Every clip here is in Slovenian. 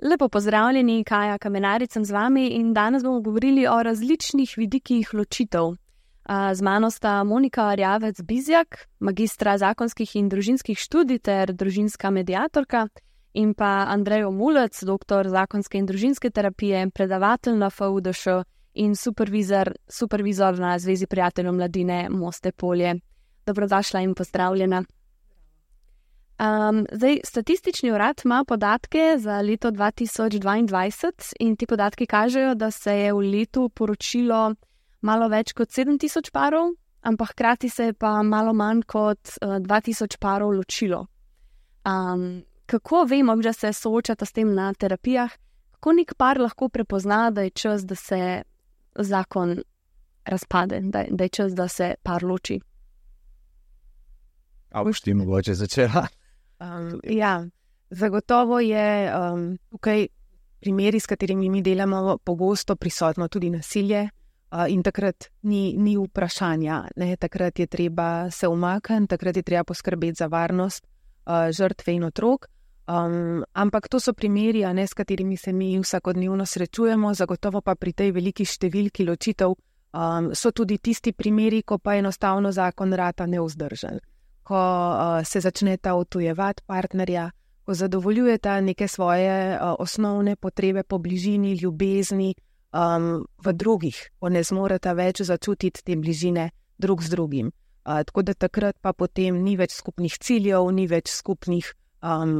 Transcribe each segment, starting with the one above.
Lepo pozdravljeni, Kaja Kamenaric sem z vami in danes bomo govorili o različnih vidikih ločitev. Z mano sta Monika Arjavec-Bizjak, magistra zakonskih in družinskih študij ter družinska mediatorka, in pa Andrej Mulec, doktor zakonske in družinske terapije, predavatelj na FUDŠ in supervizor na Zvezi prijateljev mladine Moste Polje. Dobrodošla in pozdravljena. Statistični urad ima podatke za leto 2022 in ti podatki kažejo, da se je v letu poročilo malo več kot 7,000 parov, ampak hkrati se je pa malo manj kot 2,000 parov ločilo. Kako vemo, da se soočata s tem na terapijah, kako nek par lahko prepozna, da je čas, da se zakon razpade, da je čas, da se par loči? A boš ti mogoče začela? Zagotovo je tukaj primeri, s katerimi mi delamo, pogosto prisotno tudi nasilje in takrat ni vprašanja. Takrat je treba se umakniti, takrat je treba poskrbeti za varnost žrtve in otrok. Ampak to so primeri, s katerimi se mi vsakodnevno srečujemo, zagotovo pa pri tej veliki številki ločitev so tudi tisti primeri, ko pa enostavno zakon rata nevzdržen. Ko se začneta odtujevati partnerja, ko zadovoljujeta neke svoje osnovne potrebe po bližini, ljubezni v drugih, ko ne zmoreta več začutiti te bližine drug z drugim. Tako da takrat pa potem ni več skupnih ciljev, ni več skupnih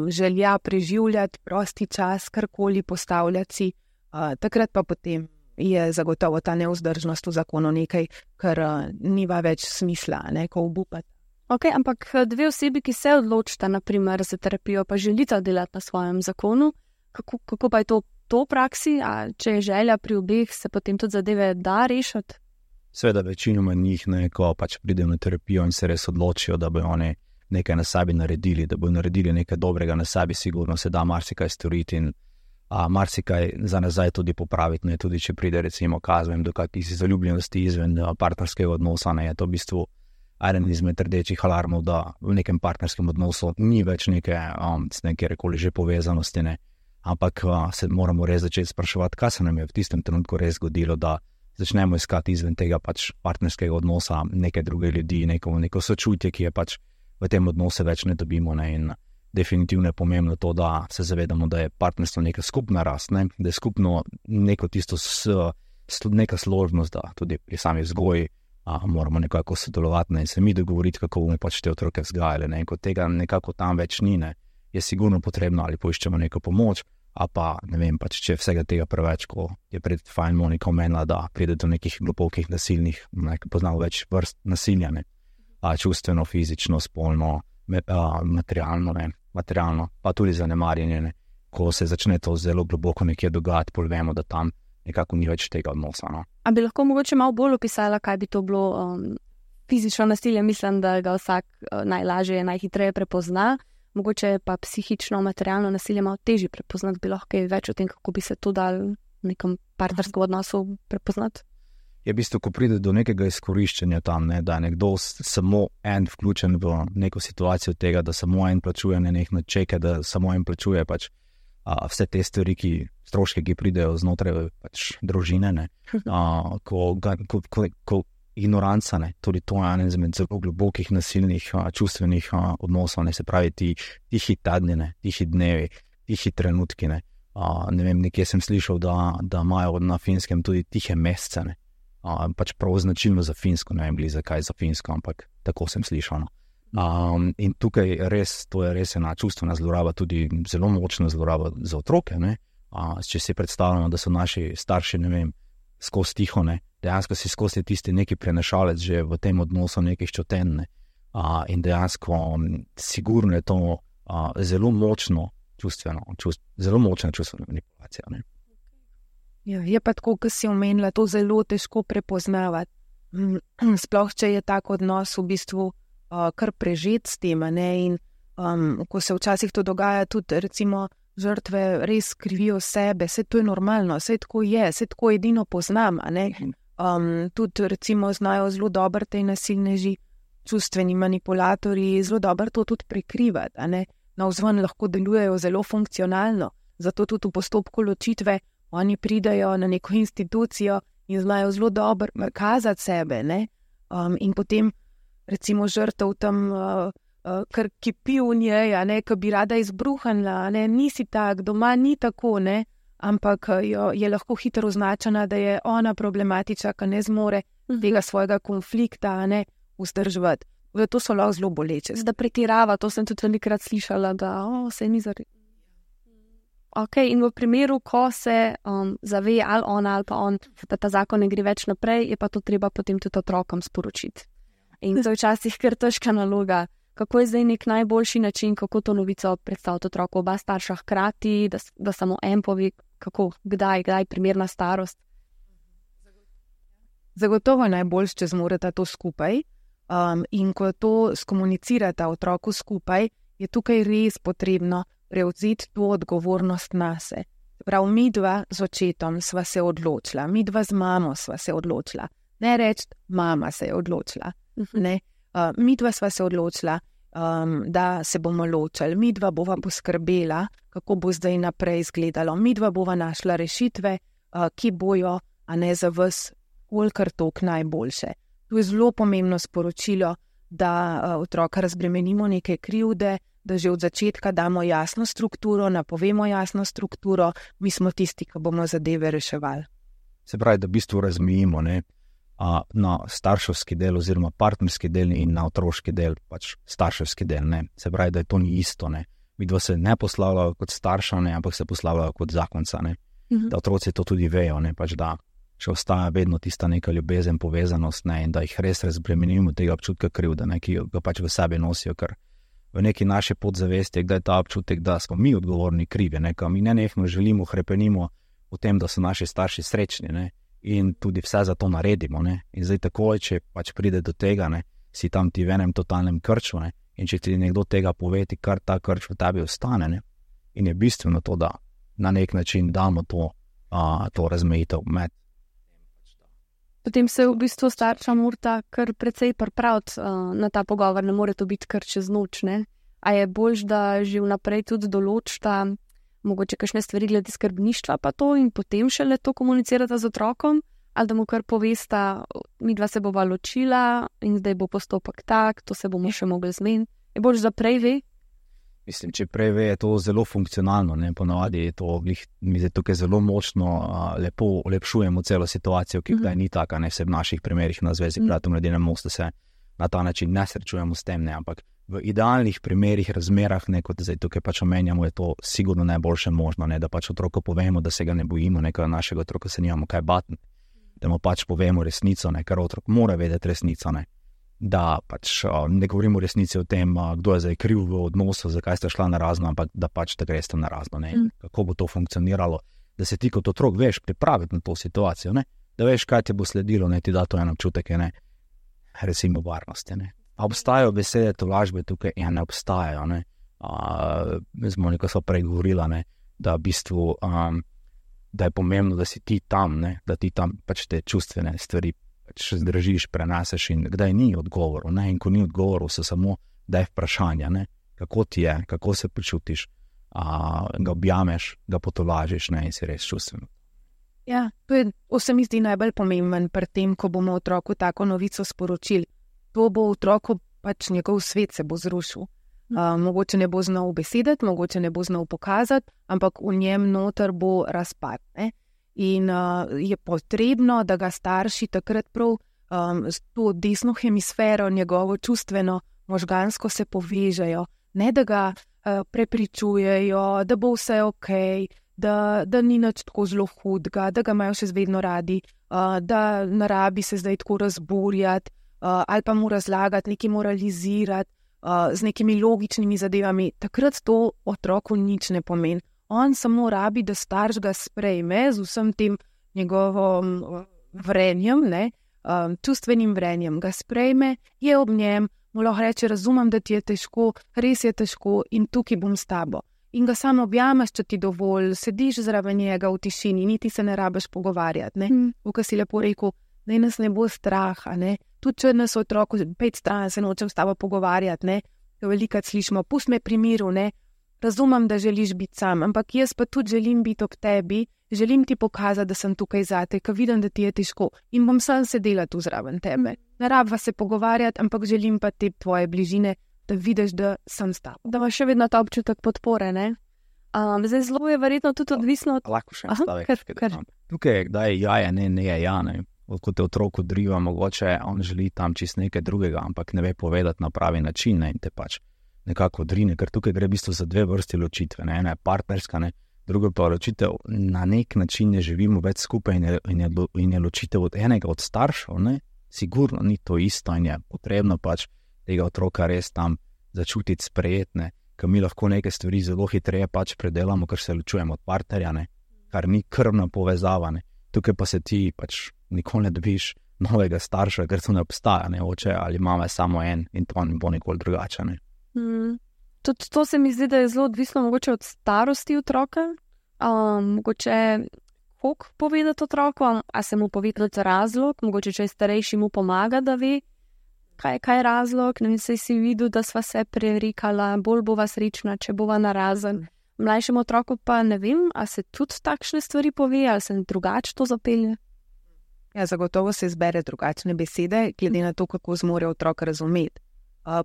želja preživljati prosti čas, karkoli postavljati si. Takrat pa potem je zagotovo ta nevzdržnost v zakonu nekaj, kar nima več smisla, ko obupati. Ok, ampak dve osebi, ki se odločita, naprimer, za terapijo, pa želita delati na svojem zakonu, kako pa je to v praksi? A če je želja pri obeh, se potem tudi zadeve da rešiti? Seveda večinoma njih, ko pač pridejo na terapijo in se res odločijo, da bojo oni nekaj na sebi naredili, da bojo naredili nekaj dobrega na sebi, sigurno se da marsikaj storiti in marsikaj za nazaj tudi popraviti, tudi če pride recimo kazvem do kakih zaljubljenosti izven partnerskega odnosa, je to v bistvu eden izmed rdečih alarmov, da v nekem partnerskem odnosu ni več neke rekoli že povezanosti, ampak se moramo res začeti spraševati, kaj se nam je v tistem trenutku res zgodilo, da začnemo iskati izven tega pač partnerskega odnosa neke druge ljudi, neko sočutje, ki je pač v tem odnosu več ne dobimo, in definitivno je pomembno to, da se zavedamo, da je partnerstvo neka skupna rast, da je skupno neko tisto neka složnost, da tudi pri sami vzgoji moramo nekako sodelovati in se mi dogovoriti, kako bomo pač te otroke vzgajali. In ko tega nekako tam več ni, je sigurno potrebno ali poiščemo neko pomoč, a pa ne vem, pač če vsega tega preveč, ko je pred fajn Monika omenila, da pride do nekih globokih nasilnih, poznamo več vrst nasilja, čustveno, fizično, spolno, materialno, pa tudi zanemarjenje, ko se začne to zelo globoko nekje dogajati, pol vemo, da tam nekako ni več tega odnosa. A bi lahko mogoče malo bolj opisala, kaj bi to bilo fizično nasilje? Mislim, da ga vsak najlažje, najhitreje prepozna, mogoče pa psihično, materialno nasilje malo težje prepoznati. Bi lahko kaj več o tem, kako bi se to dal v nekem partnerskem odnosu prepoznati? Je v bistvu, ko pride do nekega izkoriščanja tam, da je nekdo samo en vključen v neko situacijo tega, da samo en plačuje nenehno čeke, da samo en plačuje pač vse te stvari, stroške, ki pridejo znotraj pač družine, ko ignoranca, tudi to je eden izmed zelo globokih nasilnih čustvenih odnosov, se pravi tihi tedni, tihi dnevi, tihi trenutki. Ne vem, nekje sem slišal, da imajo na Finskem tudi tihe mesece, pač prav značilno za Finsko, ne vem zakaj za Finsko, ampak tako sem slišal. In tukaj to je res ena čustvena zloraba, tudi zelo močna zloraba za otroke, če si predstavljamo, da so naši starši, ne vem, skozi tiho, dejansko si skozi tisti neki prenašalec že v tem odnosu nekih čutenj, in dejansko sigurno je to zelo močna čustvena manipulacija. Je pa tako, kot si omenila, to zelo težko prepoznavati. Sploh, če je tak odnos v bistvu kar prežet s tem, in ko se včasih to dogaja, tudi recimo žrtve res krivijo sebe, saj to je normalno, saj tako je, saj tako edino poznam, Tudi recimo znajo zelo dobro tej nasilneži čustveni manipulatorji zelo dobro to tudi prikrivati, a ne. Navzven lahko delujejo zelo funkcionalno, zato tudi v postopku ločitve oni pridejo na neko institucijo in znajo zelo dobro kazati sebe, ne. In potem recimo žrtev tam kar kipi v njej, a ne, ko bi rada izbruhnila, a ne, nisi tak, doma ni tako, ne, ampak je lahko hitro označena, da je ona problematična, ki ne zmore tega svojega konflikta, a ne, vzdrževati. To so lahko zelo boleče. Da pretirava, to sem tudi velikokrat slišala, da se ni zaredila. Ok, in v primeru, ko se zave ali ona ali pa on, da ta zakon ne gre več naprej, je pa to treba potem tudi otrokom sporočiti. In to je včasih kar težka naloga. Kako je zdaj nek najboljši način, kako to novico predstaviti otroku? Oba starša hkrati, da samo en pove, kako, kdaj primerna starost? Zagotovo je najboljše, če zmoreta to skupaj. In ko to skomunicirata otroku skupaj, je tukaj res potrebno prevzeti to odgovornost nase. Prav, midva z očetom sva se odločila, midva z mamo sva se odločila. Ne reči, mama se je odločila. Ne? Midva sva se odločila, da se bomo ločili, midva bova poskrbela, kako bo zdaj naprej izgledalo, midva bova našla rešitve, ki bojo, a ne za vas, kolikor tok najboljše. To je zelo pomembno sporočilo, da otroka razbremenimo neke krivde, da že od začetka damo jasno strukturo, napovemo jasno strukturo, mi smo tisti, ki bomo zadeve reševali. Se pravi, da v bistvu razmejimo, ne, na starševski del oziroma partnerski del in na otroški del, pač starševski del, ne. Se pravi, da je to ni isto, ne. Midva se ne poslavljajo kot starša, ne, ampak se poslavljajo kot zakonca, ne. Da otroci to tudi vejo, ne, pač da še ostaja vedno tista neka ljubezen, povezanost, ne, in da jih res razbremenimo tega občutka krivde, ne, ki ga pač v sebi nosijo, ker v neki naši podzavesti je kdaj ta občutek, da smo mi odgovorni krivi, ne, mi nenehno želimo, hrepenimo v tem, da so naši starši srečni, ne, in tudi vse za to naredimo, ne, in zdaj takoj, če pač pride do tega, ne, si tam ti v enem totalnem krču, ne, in če ti nekdo tega pove, ti kar ta krč v tebi ostane, ne, in je bistveno to, da na nek način damo to razmejitev med. Potem se v bistvu starša morata kar precej pripraviti na ta pogovor, ne more to biti kar čez noč, ne? A je boljš, da že vnaprej tudi določita mogoče kakšne stvari glede skrbništva pa to in potem šele to komunicirata z otrokom, ali da mu kar povesta, midva se bova ločila in zdaj bo postopek tak, to se bomo še mogli zmeniti. Je boljš, da prej ve? Mislim, če prej ve, je to zelo funkcionalno, ne, ponavadi je to, mi zdaj tukaj zelo močno lepo olepšujemo celo situacijo, ki kdaj ni taka, ne, vse v naših primerih na Zvezi bratov Mladine Most se na ta način ne srečujemo s tem, ne, ampak v idealnih primerih, razmerah, ne, kot zdaj tukaj pač omenjamo, je to sigurno najboljše možno, ne, da pač otroku povemo, da se ga ne bojimo, nekaj našega otroka se nimamo kaj bati, da mu pač povemo resnico, ne, ker otrok mora vedeti resnico, ne. Da pač ne govorimo resnici o tem, kdo je zdaj kriv v odnosu, zakaj ste šla na razno, ampak da pač da greste na razno, ne, kako bo to funkcioniralo, da se ti kot otrok veš pripraviti na to situacijo, ne, da veš, kaj ti bo sledilo, ne, ti da to en občutek, ne, recimo varnosti, ne. A obstajajo besede tolažbe tukaj? Ja, ne obstajajo, ne. Z Moniko sva prej govorila, ne, da v bistvu, da je pomembno, da si ti tam, ne, da ti tam pač te čustvene stvari še zdržiš, preneseš in kdaj ni odgovorov, ne, in ko ni odgovorov, se samo daj vprašanja, ne, kako ti je, kako se počutiš, ga objameš, ga potolažiš, ne, in si res čustven. Ja, to se mi zdi najbolj pomemben pri tem, ko bomo otroku tako novico sporočili. To bo otroku pač njegov svet se bo zrušil. Mogoče ne bo znal besediti, mogoče ne bo znal pokazati, ampak v njem noter bo razpad, ne. In je potrebno, da ga starši takrat prav s to desno hemisfero, njegovo čustveno, možgansko se povežejo, ne da ga prepričujejo, da bo vse okej, da ni nič tako zelo hudega, da ga imajo še vedno radi, da ne rabi se zdaj tako razburjati ali pa mu razlagati, nekaj moralizirati z nekimi logičnimi zadevami. Takrat to otroku nič ne pomeni. On samo rabi, da starš ga sprejme z vsem tem njegovim vrenjem, ne, čustvenim vrenjem. Ga sprejme, je ob njem, mu lahko reče, razumem, da ti je težko, res je težko in tukaj bom s tabo. In ga samo objameš, če ti dovolj, sediš zraven njega v tišini, niti se ne rabiš pogovarjati, ne. Ko si lepo rekel, naj nas ne bo strah, ne, Tudi če nas otrok 5 stran se nočem s tabo pogovarjati, ne, velikokrat slišimo, pusti me pri miru, ne, razumem, da želiš biti sam, ampak jaz pa tudi želim biti ob tebi, želim ti pokazati, da sem tukaj zate, ker vidim, da ti je težko in bom sam sedela tu zraven tebe. Ne rabva se pogovarjati, ampak želim pa te tvoje bližine, da vidiš, da sem s tabo. Da imaš še vedno ta občutek podpore, ne? Zdaj zelo je verjetno tudi odvisno od... Lahko še en stavek. Tukaj je kdaj jaja, ne je ja, ne. Ko te otrok odriva, mogoče on želi tam čist nekaj drugega, ampak ne ve povedati na pravi način, ne, in te pač nekako odrine, ker tukaj gre v bistvu za dve vrsti ločitve, ne, ena je partnerska, ne, druga pa ločitev, na nek način ne živimo več skupaj in je ločitev od enega od staršev, ne, sigurno ni to isto in je potrebno pač tega otroka res tam začutiti sprejetne, ker mi lahko neke stvari zelo hitreje pač predelamo, ker se ločujemo od partnerja, ne, kar ni krvna povezava, ne. Tukaj pa se ti pač nikoli ne dobiš novega starša, ker to ne obstaja, ne, oče ali mama je samo en in to ne bo nikoli drugače, ne. Tudi to se mi zdi, da je zelo odvisno mogoče od starosti otroka, mogoče koliko povedati otroku, a se mu povedati razlog, mogoče če je starejši mu pomaga, da ve, kaj je razlog, ne vem, saj si videl, da sva se prerikala, bolj bova srečna, če bova narazen. Mlajšemu otroku pa ne vem, a se tudi takšne stvari pove, ali se drugače to zapelje. Ja, zagotovo se izbere drugačne besede, glede na to, kako zmore otrok razumeti.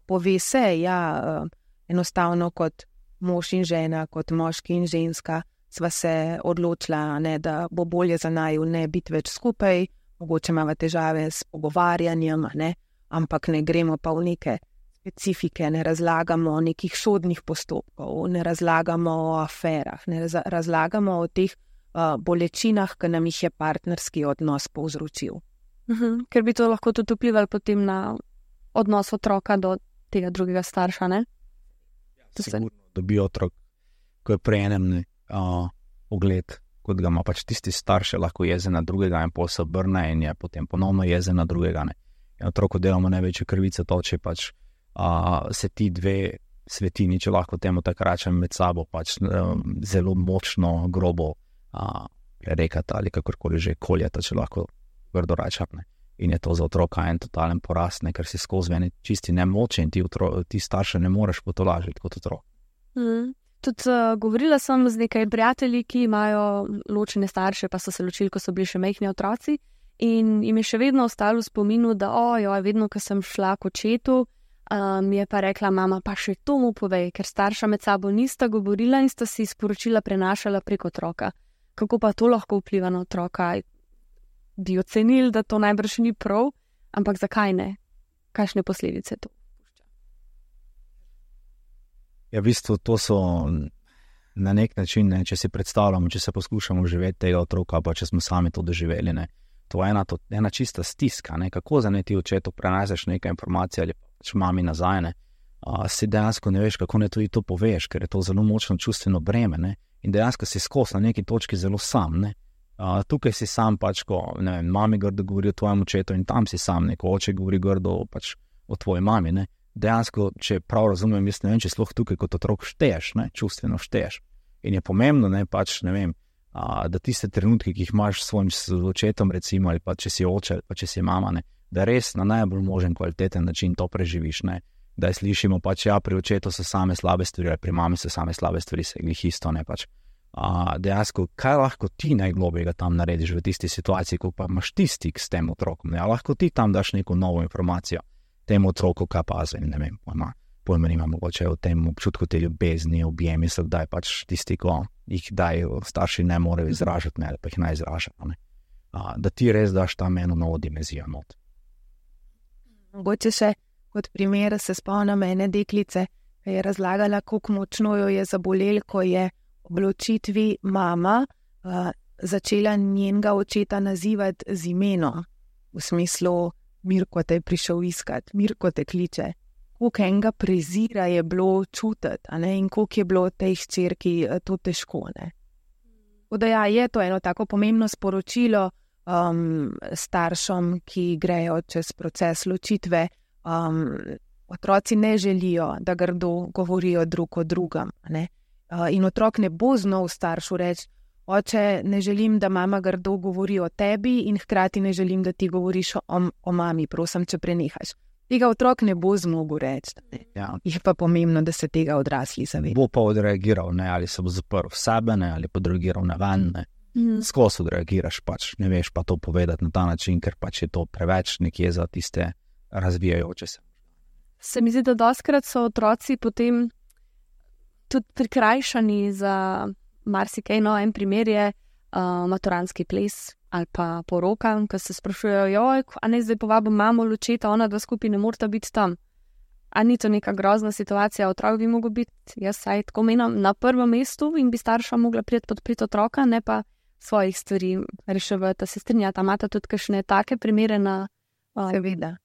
Pove se, ja, enostavno kot mož in žena, kot moški in ženska, sva se odločila, ne, da bo bolje za naju ne biti več skupaj, mogoče imava težave s pogovarjanjem, ne, ampak ne gremo pa v neke specifike, ne razlagamo o nekih sodnih postopkov, ne razlagamo o aferah, ne razlagamo o teh bolečinah, ki nam jih je partnerski odnos povzročil. Ker bi to lahko tudi vplivalo potem na odnos otroka do tega drugega starša, ne? Sigurno dobi otrok, ko je pri enem ugled, kot ga ima pač tisti starš, lahko jezen na drugega in pol se obrne in je potem ponovno jezen na drugega, ne. In otroku delamo največje krvice to, če pač se ti dve svetini, če lahko temu tako rečem, med sabo pač zelo močno, grobo rekata ali kakorkoli že koljata, če lahko grdo rečem, ne. In je to za otroka en totalen porast, ne, ker si skozi ene čisti nemoče in ti starše ne moreš potolažiti kot otrok. Tudi govorila sem z nekaj prijatelji, ki imajo ločene starše, pa so se ločili, ko so bili še majhni otroci in jim je še vedno ostalo v spominu, da vedno, ko sem šla k očetu, mi je pa rekla mama, pa še to mu povej, ker starša med sabo nista govorila in sta si sporočila prenašala prek otroka. Kako pa to lahko vpliva na otroka? Bi ocenili, da to najbrž ni prav, ampak zakaj ne? Kakšne posledice to pušča? Ja, v bistvu to so na nek način, ne, če si predstavljamo, če se poskušamo živeti tega otroka, pa če smo sami to doživeli, ne, to je ena čista stiska, ne, kako za ti očetu preneseš nekaj informacij ali pač mami nazaj, ne, si dejansko ne veš, kako ne tudi to poveš, ker je to zelo močno čustveno breme, ne, in dejansko si skozi na neki točki zelo sam, ne. Tukaj si sam pač, ko ne vem, mami grdo govori o tvojem očetu in tam si sam, neko oče govori grdo pač o tvoji mami, ne. Dejansko, če prav razumem, jaz ne vem, če sploh tukaj kot otrok šteješ, ne, čustveno šteješ. In je pomembno, ne, pač, ne vem, da tiste trenutke, ki jih imaš s svojim očetom, recimo, ali pa če si oče, ali pa če si mama, ne, da res na najbolj možen kvaliteten način to preživiš, ne. Da slišimo pač, ja, pri očetu so same slabe stvari, ali pri mami so same slabe stvari, se glih isto, ne, pač. Dejansko, kaj lahko ti najglobjega tam narediš v tisti situaciji, ko pa imaš ti stik s tem otrokom, ne, lahko ti tam daš neko novo informacijo temu otroku, kaj pazi, ne vem, pojma nima mogoče o tem občutku te ljubezni, objemi se, da je pač tisti, ko jih daj starši ne morejo izražati, ne, ali pa jih ne izražati, ne. Da ti res daš tam eno novo dimenzijo not. Mogoče še kot primer se spomnim ene deklice, ki je razlagala, kako močno jo je zabolel, ko je ob ločitvi mama začela njenega očeta nazivati z imenom, v smislu Mirko te je prišel iskat, Mirko te kliče. Koliko enega prezira je bilo čutiti, a ne, in koliko je bilo tej hčerki to težko, ne. Da ja, je to eno tako pomembno sporočilo staršem, ki grejo čez proces ločitve. Otroci ne želijo, da grdo govorijo drug o drugem, ne. In otrok ne bo znal staršu reči, Oče, ne želim, da mama grdo govori o tebi in hkrati ne želim, da ti govoriš o mami, prosim, če prenehaš. Tega otrok ne bo zmogel reči. Ja. Je pa pomembno, da se tega odrasli zavedajo. Bo pa odreagiral, ne, ali se bo zaprl v sebe, ne, ali pa odreagiral na ven. Skozi odreagiraš, pač ne veš pa to povedati na ta način, ker pač je to preveč nekje za tiste razvijajoče se. Se mi zdi, da dostikrat so otroci potem tudi prikrajšani za marsikaj. No, en primer je maturantski ples ali pa poroka, ko se sprašujejo, a ne zdaj povabim mamo, očeta, ona dva skupaj ne morata biti tam. A ni to neka grozna situacija, otrok bi mogel biti, jaz saj tako menim, na prvem mestu in bi starša mogla priti podpreti otroka, ne pa svojih stvari reševati. Se strinjata, imata tudi kakšne take primere na... Seveda.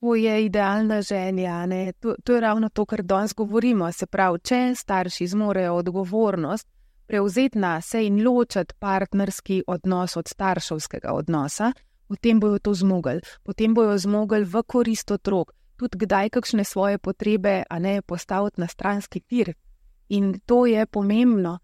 To je idealna želja, ne? To je ravno to, kar danes govorimo. Se pravi, če starši zmorejo odgovornost prevzeti na se in ločiti partnerski odnos od starševskega odnosa, potem bojo to zmogli. Potem bojo zmogli v korist otrok. Tudi kdaj kakšne svoje potrebe, a ne, postaviti na stranski tir. In to je pomembno.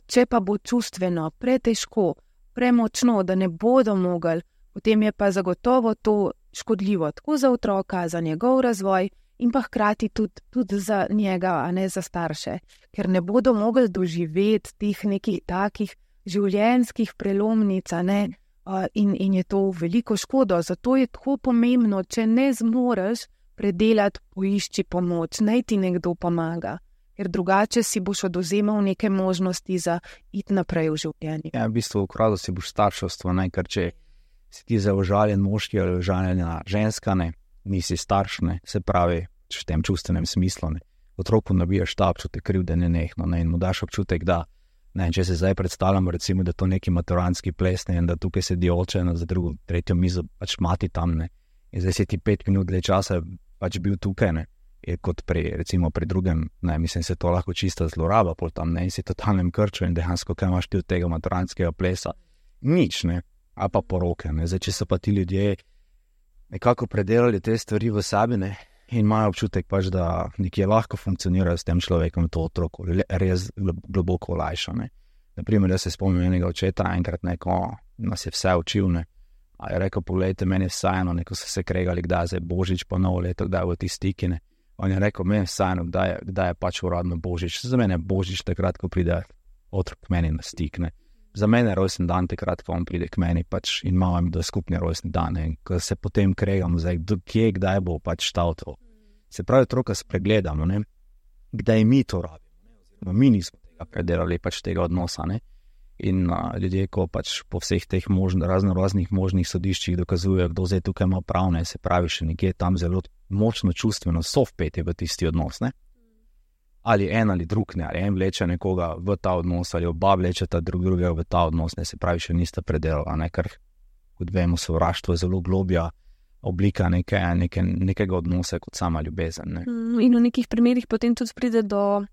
Če pa bo čustveno pretežko, premočno, da ne bodo mogli, potem je pa zagotovo to škodljivo tako za otroka, za njegov razvoj in pa hkrati tudi za njega, a ne za starše, ker ne bodo mogli doživeti teh nekih takih življenjskih prelomnic, a ne, in je to veliko škodo. Zato je tako pomembno, če ne zmoreš predelati, poišči pomoč, naj ti nekdo pomaga, ker drugače si boš oduzemal neke možnosti za iti naprej v življenju. Ja, v bistvu ukradel si boš starševstvo, ne, ker če si ti za užaljen moški ali užaljena ženska, ne, nisi starš, ne, se pravi, v tem čustvenem smislu, ne, otroku nabijaš ta občutek krivde nenehno, ne, in mu daš občutek, da, ne, če se zdaj predstavljamo, recimo, da to neki maturantski ples, ne, in da tukaj sedi oče za drugo, tretjo mizo, pač mati tam, ne, in zdaj si ti 5 minut dlje časa pač bil tukaj, ne, je kot recimo pri drugem, ne, mislim, se to lahko čista zloraba pol tam, ne, in si totalnem krču in dejansko, kaj imaš ti od tega maturantskega plesa, nič, ne, a pa poroke, ne, zdaj, če so pa ti ljudje nekako predelali te stvari v sebi, ne, in imajo občutek pač, da nekje lahko funkcionirajo s tem človekom, to otroko res globoko olajša, ne. Naprimer, jaz se spomnim enega očeta, enkrat neko nas je vse učil, ne, a je rekel, poglejte, meni je vseeno, neko so se kregali, kdaj je Božič pa novo leto, kdaj v ti stiki, ne. On je rekel, meni je vseeno, kdaj je pač uradno Božič. Za mene je Božič takrat, ko pride otrok k meni na stik, ne. Za mene je rojstni dan takrat, ko on pride k meni pač in imamo da skupni rojstni dan, ne. Ko se potem kregamo, zdaj, kdaj bo pač štal to. Se pravi, otroka spregledamo, ne. Kdaj mi to rabimo, ne. Mi nismo tega predelali pač tega odnosa, ne. In ljudje, ko pač po vseh teh raznih možnih sodiščih dokazujejo, kdo zdaj tukaj ima prav, ne, se pravi, še nekje tam zelo močno čustveno so vpeti v tisti odnos, ne. Ali en ali drug, ne, ali en vleče nekoga v ta odnos, ali oba vlečeta drugega v ta odnos, ne, se pravi, še nista predelala, ne, ker, kot vemo, sovraštvo je zelo globja oblika nekega odnosa kot sama ljubezen, ne. In v nekih primerih potem tudi pride do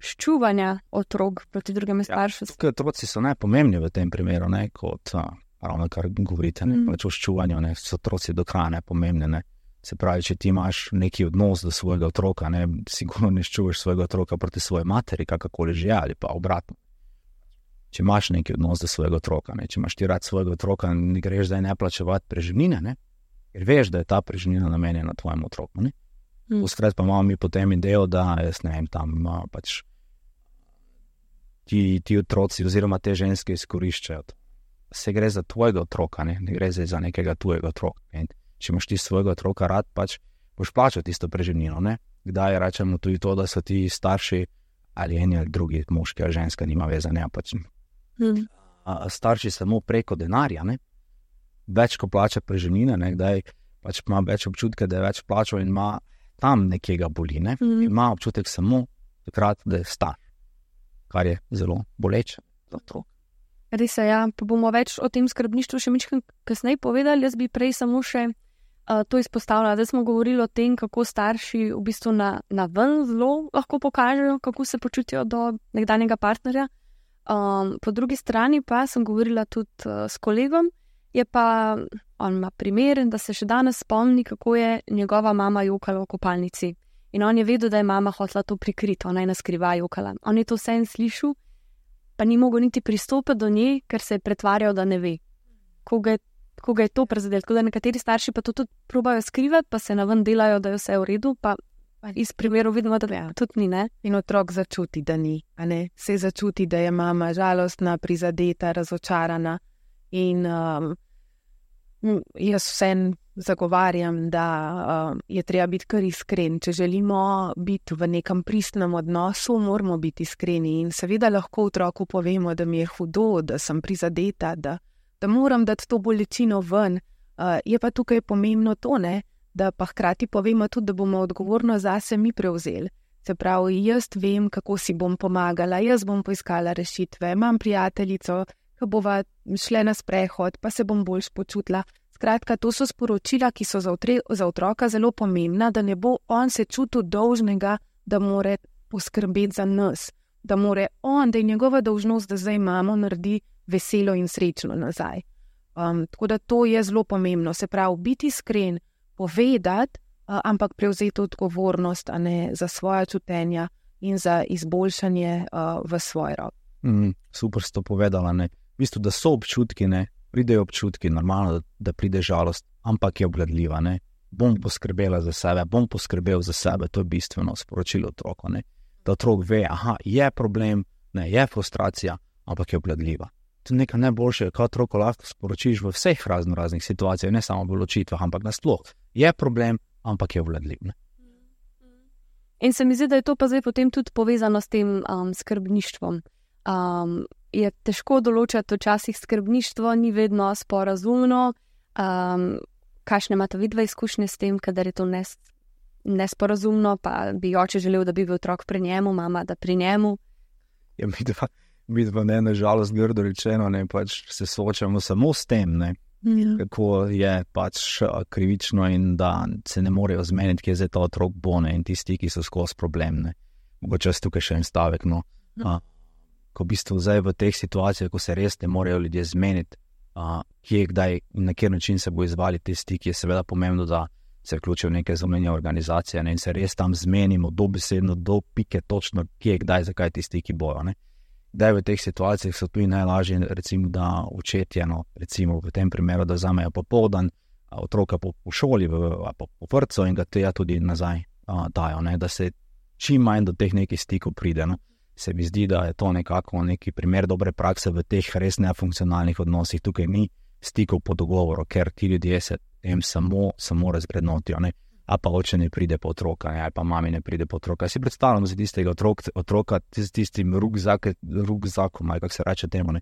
ščuvanja otrok proti drugemu staršu. Ja, otroci so najpomembni v tem primeru, ne, kot ravno kar govorite, ne, pač o ščuvanju, ne, so otroci do kraja nepomembni, ne. Se pravi, če ti imaš neki odnos do svojega otroka, ne, sigurno ne ščuvaš svojega otroka proti svoji materi, kakorkoli že, ali pa obratno. Če imaš neki odnos do svojega otroka, ne, če imaš ti rad svojega otroka, ne greš zdaj ne plačevati preživnine, ne, ker veš, da je ta preživnina namenjena tvojemu otroku, ne. Vskrat pa imamo mi potem idejo, da, jaz ne vem, tam pač ti otroci oziroma te ženske izkoriščajo. Se gre za tvojega otroka, ne gre za nekega tujega otroka. Ne? Če imaš ti svojega otroka rad, pač boš plačal tisto preživnino, ne? Kdaj rečemo tudi to, da so ti starši ali eni ali drugi, moški ali ženska, nima veze, ne, pač starši samo preko denarja, ne? Več ko plača preživnine, ne, kdaj pač ima več občutka, da je več plačal in ima tam nekje ga boli, ne? Ima občutek samo takrat, da je star, kar je zelo boleče za otrok. Res je, ja, pa bomo več o tem skrbništvu še mičkrat kasneje povedali, jaz bi prej samo še to izpostavila, da smo govorili o tem, kako starši v bistvu na ven zelo lahko pokažejo, kako se počutijo do nekdanjega partnerja. Po drugi strani pa sem govorila tudi s kolegom, je pa on ima primer, da se še danes spomni, kako je njegova mama jokala v kopalnici. In on je vedel, da je mama hotela to prikriti, ona je naskrivaj jokala. On je to vse slišal, pa ni mogel niti pristopiti do nje, ker se je pretvarjal, da ne ve. Koga je to prizadelo. Tako da nekateri starši pa to tudi probajo skrivati, pa se naven delajo, da je vse v redu, pa iz primerov vidimo, da tudi ni, ne? In otrok začuti, da ni, a ne? Se začuti, da je mama žalostna, prizadeta, razočarana in jaz vsem zagovarjam, da je treba biti kar iskren. Če želimo biti v nekem pristnem odnosu, moramo biti iskreni in seveda lahko otroku povemo, da mi je hudo, da sem prizadeta, da moram dati to bolečino ven. Je pa tukaj pomembno to, ne, da pa hkrati povemo tudi, da bomo odgovorno zase mi prevzeli. Se pravi, jaz vem, kako si bom pomagala, jaz bom poiskala rešitve, imam prijateljico, ko bova šle na sprehod, pa se bom boljš počutila. Skratka, to so sporočila, ki so za otroka zelo pomembna, da ne bo on se čutil dolžnega, da more poskrbeti za nas, da more on, da je njegova dolžnost, da zdaj mamo naredi veselo in srečno nazaj. Tako da to je zelo pomembno, se pravi, biti iskren, povedati, ampak prevzeti odgovornost, a ne za svoja čutenja in za izboljšanje v svoj rok. Super si to povedala, ne. V bistvu, da so občutki, ne, pridejo občutki, normalno, da pride žalost, ampak je obvladljiva, ne. Bom poskrbela za sebe, bom poskrbel za sebe, to je bistveno sporočilo otroku, ne. Da otrok ve, je problem, ne, je frustracija, ampak je obvladljiva. To je nekaj najboljšega, kaj otroku lahko sporočiš v vseh raznih situacijah, ne samo v ločitvah, ampak nasploh. Je problem, ampak je obvladljiv, ne. In se mi zdi, da je to pa zdaj potem tudi povezano s tem skrbništvom. Je težko določati včasih skrbništvo, ni vedno sporazumno. Kakšne imate vidva izkušnje s tem, kadar je to nesporazumno, pa bi oče želel, da bi bil otrok pri njemu, mama, da pri njemu? Ja, midva ne, nažalost, grdo rečeno, ne, pač se soočamo samo s tem, ne, kako je pač krivično in da se ne morejo zmeniti, kje je zdaj ta otrok bo, ne, in tisti, ki so skozi problem, ne. Mogoče tukaj še en stavek, no. Ko v bistvu zdaj v teh situacijah, ko se res ne morejo ljudje zmeniti, kje, kdaj in na kjer način se bo izvali te stiki, je seveda pomembno, da se vključijo v neke zunanje organizacije, ne, in se res tam zmenimo dobesedno, do pike točno, kje, kdaj, zakaj ti stiki bojo, ne. Kdaj v teh situacijah so tudi najlažje, recimo, da očetje, no, recimo v tem primeru, da vzamejo popoldan otroka po šoli, po vrtcu in ga tega tudi nazaj dajo, ne, da se čim manj do teh nekih stikov pride, no. Se mi zdi, da je to nekako neki primer dobre prakse v teh res nefunkcionalnih odnosih. Tukaj ni stikov po dogovoru, ker ti ljudje se tem samo razvrednotijo, ne. A pa oče ne pride po otroka, ne, ali pa mami ne pride po otroka. Si predstavljamo za tistega otroka s tistim rukzakom, ali kako se reče temu, ne,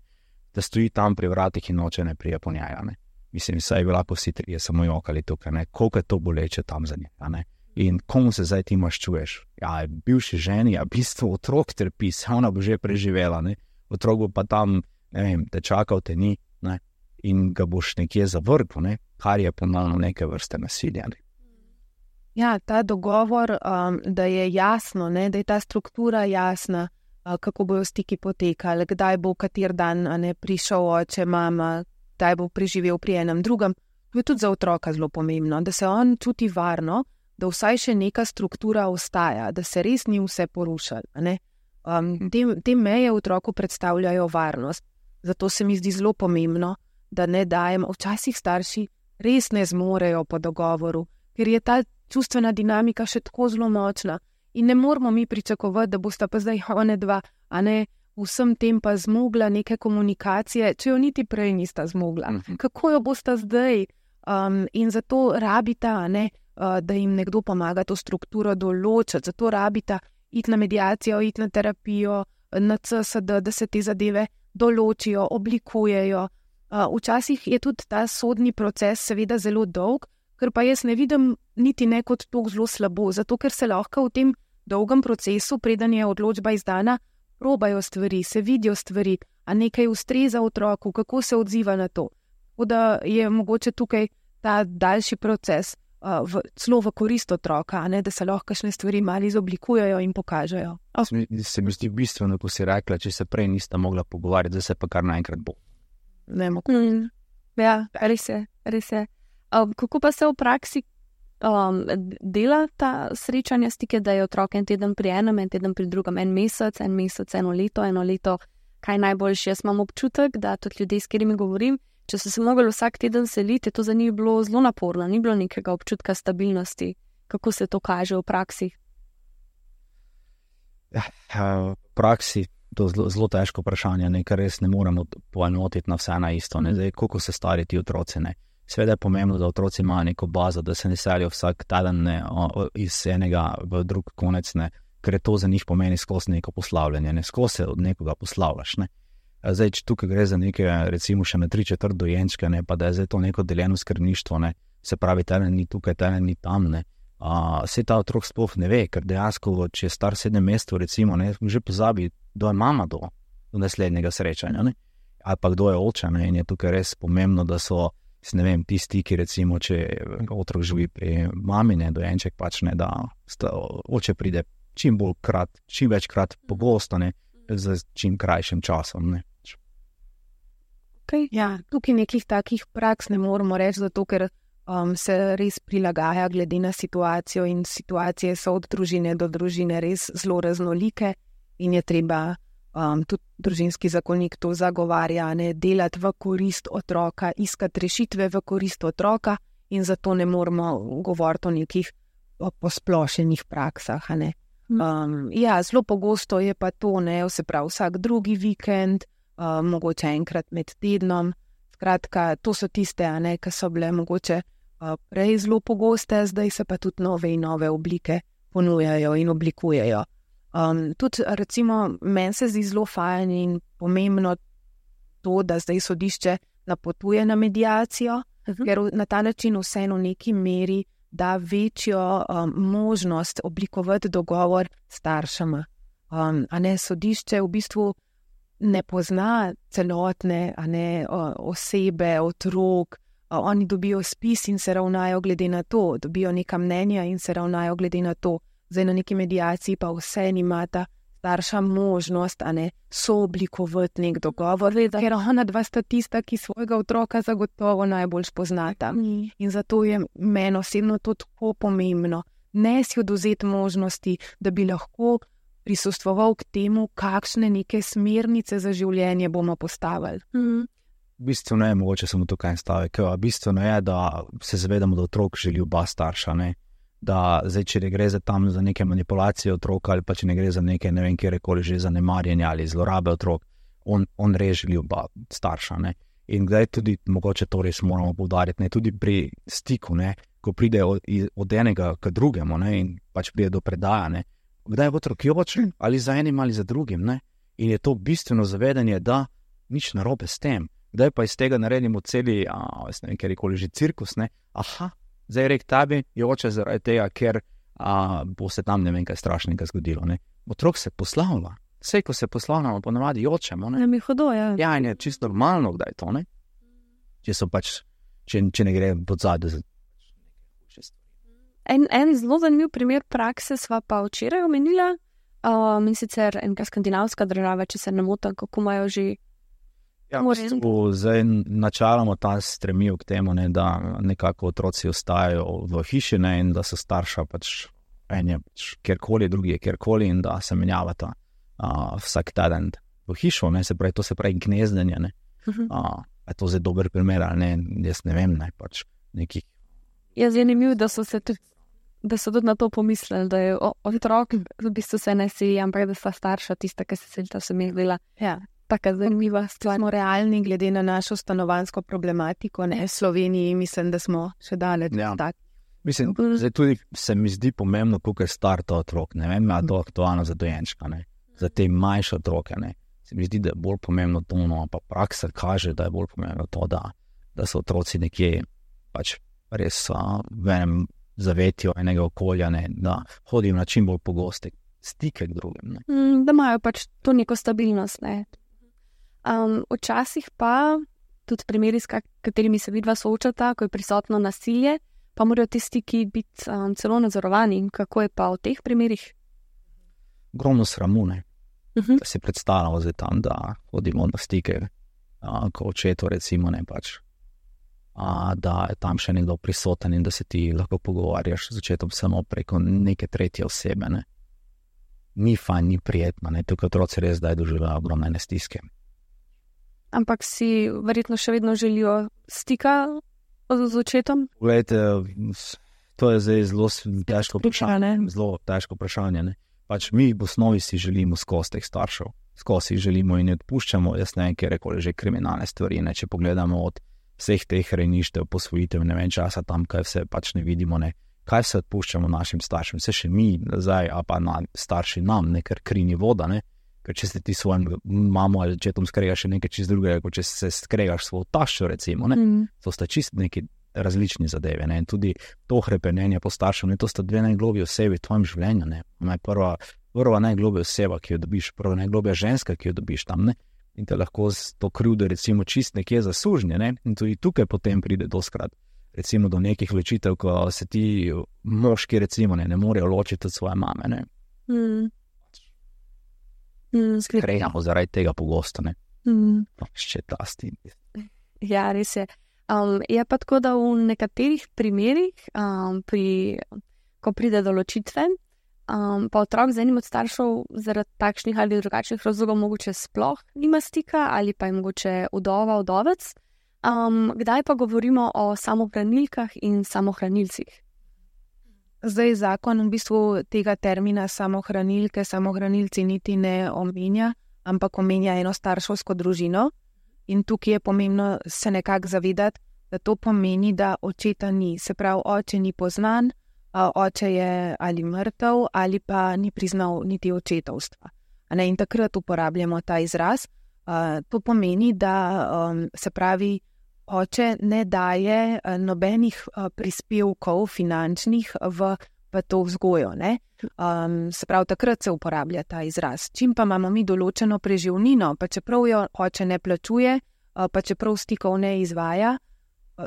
da stoji tam pri vratih in oče ne prije po njega, ne. Mislim, saj bi lahko vsi trije samo jokali tukaj, ne, koliko je to boleče tam za njega, ne. In komu se zdaj ti maščuješ? Ja, bivši ženi, a v bistvu otrok trpi, se ona bo že preživela, ne. Otrok bo pa tam, ne vem, te čakal, te ni, ne, in ga boš nekje zavrgel, ne, kar je ponovno neke vrste nasilja, ne. Ja, ta dogovor, da je jasno, ne, da je ta struktura jasna, kako bojo stiki potekali, kdaj bo kater dan, ne, prišel oče, mama, kdaj bo preživel pri enem drugem, to je tudi za otroka zelo pomembno, da se on čuti varno, da vsaj še neka struktura ostaja, da se res ni vse porušalo, ne. Te meje otroku predstavljajo varnost, zato se mi zdi zelo pomembno, da ne dajem, včasih starši res ne zmorejo po dogovoru, ker je ta čustvena dinamika še tako zelo močna in ne moramo mi pričakovati, da bosta pa zdaj one dva, a ne, vsem tem pa zmogla neke komunikacije, če jo niti prej nista zmogla. Kako jo bosta zdaj? In zato rabita, a ne, da jim nekdo pomaga to strukturo določiti, zato rabita iti na mediacijo, iti na terapijo, na CSD, da se te zadeve določijo, oblikujejo. Včasih je tudi ta sodni proces seveda zelo dolg, ker pa jaz ne vidim niti ne kot to zelo slabo, zato ker se lahko v tem dolgem procesu, preden je odločba izdana, probajo stvari, se vidijo stvari, a nekaj ustreza otroku, kako se odziva na to. Tako da je mogoče tukaj ta daljši proces celo v korist otroka, a ne, da se lahko kakšne stvari malo izoblikujejo in pokažejo. Se mi zdi bistveno, ko si rekla, če se prej nista mogla pogovarjati, da se pa kar naenkrat bo. Ne mogoče. Ja, res je. Kako pa se v praksi dela ta srečanja stike, da je otrok en teden pri enem, en teden pri drugem, en mesec, eno leto kaj najboljše. Jaz imam občutek, da tudi ljudje, s katerimi govorim, če so se mogli vsak teden seliti, je to za njih bilo zelo naporno, ni bilo nekega občutka stabilnosti. Kako se to kaže v praksi? V praksi to je zelo težko vprašanje, ker res ne moremo poenotiti na vse na isto. Zdaj, koliko se stari ti otroci, ne. Seveda je pomembno, da otroci imajo neko bazo, da se ne selijo vsak teden iz enega v drug konec, ne, ker je to za njih pomeni skozi neko poslavljanje, ne, skozi se od nekoga poslavljaš, ne. Zdaj, če tukaj gre za neke, recimo še na 3/4 dojenčke, ne, pa da je zdaj to neko deljeno skrbništvo, ne, se pravi, teden ni tukaj, teden ni tam, ne. Se ta otrok sploh ne ve, ker dejansko, če je star 7 mesecev, recimo, ne, že pozabi, kdo je mama do naslednjega srečanja, ne, ali pa kdo je oče, ne, in je tukaj res pomembno, da so, ne vem, ti stiki, recimo, če otrok živi pri mami, ne, dojenček pač ne, da oče pride čim večkrat pogosto, ne, z čim krajšim časom, ne. Okay. Ja, tukaj nekih takih praks ne moramo reči, zato ker se res prilagaja glede na situacijo in situacije so od družine do družine res zelo raznolike in je treba tudi družinski zakonik to zagovarja, ne, delati v korist otroka, iskati rešitve v korist otroka in zato ne moramo govoriti o nekih posplošenih praksah, ne. Ja, zelo pogosto je pa to, ne, se pravi vsak drugi vikend, mogoče enkrat med tednom. Skratka, to so tiste, ne, ki so bile mogoče prej zelo pogoste, zdaj se pa tudi nove in nove oblike ponujajo in oblikujejo. Tudi recimo meni se zdi zelo fajn in pomembno to, da zdaj sodišče napotuje na mediacijo, ker na ta način vseeno v neki meri da večjo možnost oblikovati dogovor staršema. A ne, sodišče v bistvu ne pozna celotne osebe, otrok, oni dobijo spis in se ravnajo glede na to, dobijo neka mnenja in se ravnajo glede na to. Zdaj na neki mediaciji pa vseeno imata starša možnost, sooblikovati nek dogovor, ker ona dva sta tista, ki svojega otroka zagotovo najbolj spoznata. In zato je meni osebno to tako pomembno. Ne si odvzeti možnosti, da bi lahko prisostvoval k temu, kakšne neke smernice za življenje bomo postavili. Bistveno je, mogoče samo tukaj en stavek, bistveno je, da se zavedamo, da otrok želi oba starša, ne. Da zdaj, če ne gre za neke manipulacije otroka ali pa če ne gre za neke, ne vem, kjerkoli že zanemarjanje ali zlorabe otrok, on res želi oba starša, ne. In kdaj tudi, mogoče to res moramo poudariti, ne, tudi pri stiku, ne, ko pride od enega k drugemu, ne, in pač pride do predaja, ne, kdaj je otrok joče ali za enim ali za drugim, ne, in je to bistveno zavedanje, da nič narobe s tem. Kdaj pa iz tega naredimo celi, ne vem, kjerkoli že cirkus, ne, zdaj rek tebi, joče zaradi tega, ker bo se tam ne vem kaj strašnega zgodilo, ne. Otrok se poslavlja. Vse, ko se poslavljamo, ponavadi jočemo, ne. Ne mi hudo, ja. Ja, in je čisto normalno, kdaj to, ne. Če so pač, če ne gre pod zadnje za nekaj stvari. En zelo zanimiv primer prakse sva pa včeraj omenila, in sicer enka skandinavska država, če se ne motim, kako imajo že. Ja, zdaj načeloma ta stremijo k temu, ne, da nekako otroci ostajajo v hiši, ne, in da so starša pač en je pač kjerkoli, drugi je kjerkoli in da se menjavata vsak teden v hišo, ne, to se pravi gnezdenje, ne. Je to zdaj dober primer ali ne, jaz ne vem, ne, pač nekih. Jaz je zanimiv, da so tudi na to pomislili, da je otrok v bistvu se ne seli, ampak da sta starša tista, ki se selita, se mi je zdela. Ja. Taka zanimiva stvar. Smo realni glede na našo stanovanjsko problematiko, ne, v Sloveniji mislim, da smo še daleč tak. Mislim, zdaj tudi se mi zdi pomembno, koliko je star ta otrok, ne vem, to aktualno za dojenčka, ne, za te manjše otroke, ne, se mi zdi, da je bolj pomembno to, no, pa praksa kaže, da je bolj pomembno to, da so otroci nekje pač res v enem zavetju enega okolja, ne, da hodijo na čim bolj pogoste stike k drugim, ne. Da imajo pač to neko stabilnost, ne. Včasih pa tudi primeri, s katerimi se vidva soočata, ko je prisotno nasilje, pa morajo ti stiki biti celo nadzorovani. Kako je pa v teh primerih? Ogromno sramu, ne. Da si predstavljamo zdaj tam, da hodimo na stike, ko očetu recimo, ne, pač, da je tam še nekdo prisoten in da se ti lahko pogovarjaš z očetom samo preko neke tretje osebe, ne. ni fajn, ni prijetno, ne, tukaj otroci res zdaj doživljajo ogromne stiske. Ampak si verjetno še vedno želijo stika z očetom? Poglejte, to je zdaj zelo težko vprašanje, ne. Pač mi v osnovi si želimo skozi teh staršev, skozi jih želimo in ne odpuščamo, jaz ne vem, kjerkoli že kriminalne stvari, ne, če pogledamo od vseh teh rejništev, posvojitev, ne vem časa tam, kaj vse pač ne vidimo, ne, kaj se odpuščamo našim staršem, se še mi nazaj, a pa starši nam, ne, ker kri ni voda, ne, ker če se ti svojim mamo ali očetom skregaš še nekaj čist drugega, kot če se skregaš svojo taščo, recimo, ne, to sta čist neki različni zadeve, ne, in tudi to hrepenenje po staršev, ne, to sta dve najglobje osebi v tvojem življenju, ne, prva najglobja oseba, ki jo dobiš, prva najglobja ženska, ki jo dobiš tam, ne, in te lahko z to krivdo recimo čist nekje zasužnje, ne, in tudi tukaj potem pride doskrat recimo do nekih ločitev, ko se ti moški recimo ne morejo ločiti od svoje mame, ne. Skrejamo zaradi tega pogosto, ne. Še ta stin. Ja, res je. Je pa tako, da v nekaterih primerih, ko pride do ločitve, pa otrok z enim od staršev zaradi takšnih ali drugačnih razlogov mogoče sploh nima stika ali pa je mogoče vdova, vdovec. Kdaj pa govorimo o samohranilkah in samohranilcih? Zdaj zakon v bistvu tega termina samohranilke, samohranilci niti ne omenja, ampak omenja enostarševsko družino. In tukaj je pomembno se nekako zavedati, da to pomeni, da očeta ni. Se pravi, oče ni poznan, oče je ali mrtev ali pa ni priznal niti očetovstva. In takrat uporabljamo ta izraz. To pomeni, da se pravi, oče ne daje nobenih prispevkov finančnih v to vzgojo, ne. Se pravi, takrat se uporablja ta izraz. Čim pa imamo mi določeno preživnino, pa čeprav jo oče ne plačuje, pa čeprav stikov ne izvaja,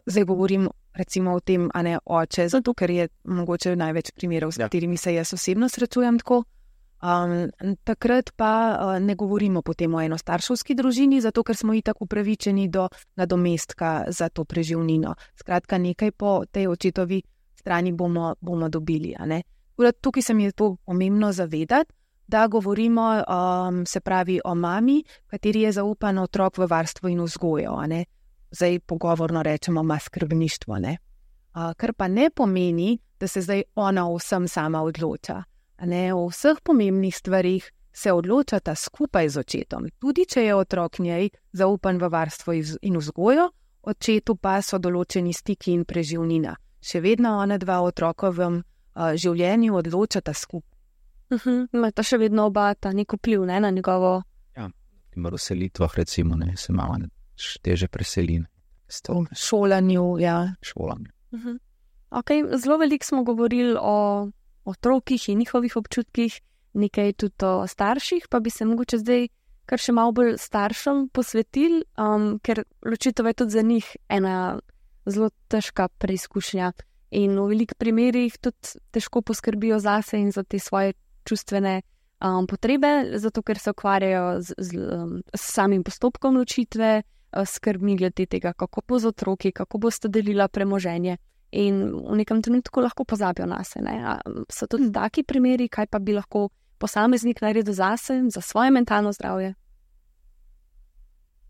zdaj govorim recimo o tem, a ne oče, zato ker je mogoče največ primerov, s katerimi se jaz osebno srečujem tako. Takrat pa ne govorimo potem o enostarševski družini, zato ker smo itak upravičeni do nadomestka za to preživnino. Skratka, nekaj po tej očetovi strani bomo dobili, a ne. Tukaj se mi je to pomembno zavedati, da govorimo se pravi o mami, kateri je zaupan otrok v varstvo in vzgojo, a ne. Zdaj pogovorno rečemo ima skrbništvo, ne. Kar pa ne pomeni, da se zdaj ona vsem sama odloča. Ne, o vseh pomembnih stvarih se odločata skupaj z očetom. Tudi če je otrok njej zaupan v varstvo in vzgojo, očetu pa so določeni stiki in preživnina. Še vedno ona dva otrokovem življenju odločata skupaj. Imata še vedno oba ta nek vpliv, ne, na njegovo... Ja, v selitvah recimo, ne, se mama teže preseli. Šolanju, ja. Šolanju. Ok, zelo veliko smo govorili o otrokih in njihovih občutkih, nekaj tudi o starših, pa bi se mogoče zdaj kar še malo bolj staršem posvetili, ker ločitev je tudi za njih ena zelo težka preizkušnja in v velikih primerih tudi težko poskrbijo zase in za te svoje čustvene potrebe, zato ker se ukvarjajo s samim postopkom ločitve, skrbmi glede tega, kako bo z otroki, kako boste delila premoženje. In v nekem trenutku lahko pozabijo nase, ne. So tudi taki primeri, kaj pa bi lahko posameznik naredil zase, za svoje mentalno zdravje?